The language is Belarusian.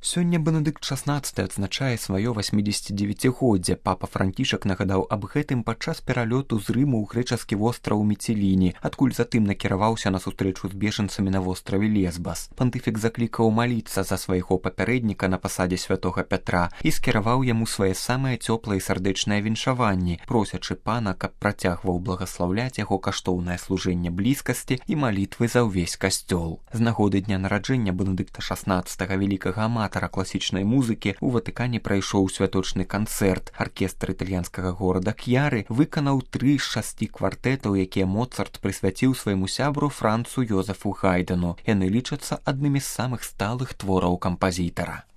Сёння Бенедыкт XVI адзначае сваё 89-годдзе. Папа Францішак нагадаў аб гэтым падчас пералёту з Рыму ў грэчаскі востраў Міціліні, адкуль затым накіраваўся на сустрэчу з бежанцамі на востраве Лесбас. Пантыфік заклікаў маліцца за свайго папярэдніка на пасадзе святога Пятра і скіраваў яму свае самыя цёплыя і сардэчныя віншаванні, просячы пана, каб працягваў благаслаўляць яго каштоўнае служэнне блізкасці і малітвы за ўвесь касцёл. З нагоды дня нараджэння Бенедыкта XVI, вялікага аматара класічнай музыкі, у Ватыкане прайшоў святочны канцэрт. Аркестр італьянскага горада К'яры выканаў 3 з 6 квартэтаў, якія Моцарт прысвяціў свайму сябру Францу Йозефу Гайдену. Яны лічацца аднымі з самых сталых твораў кампазітара.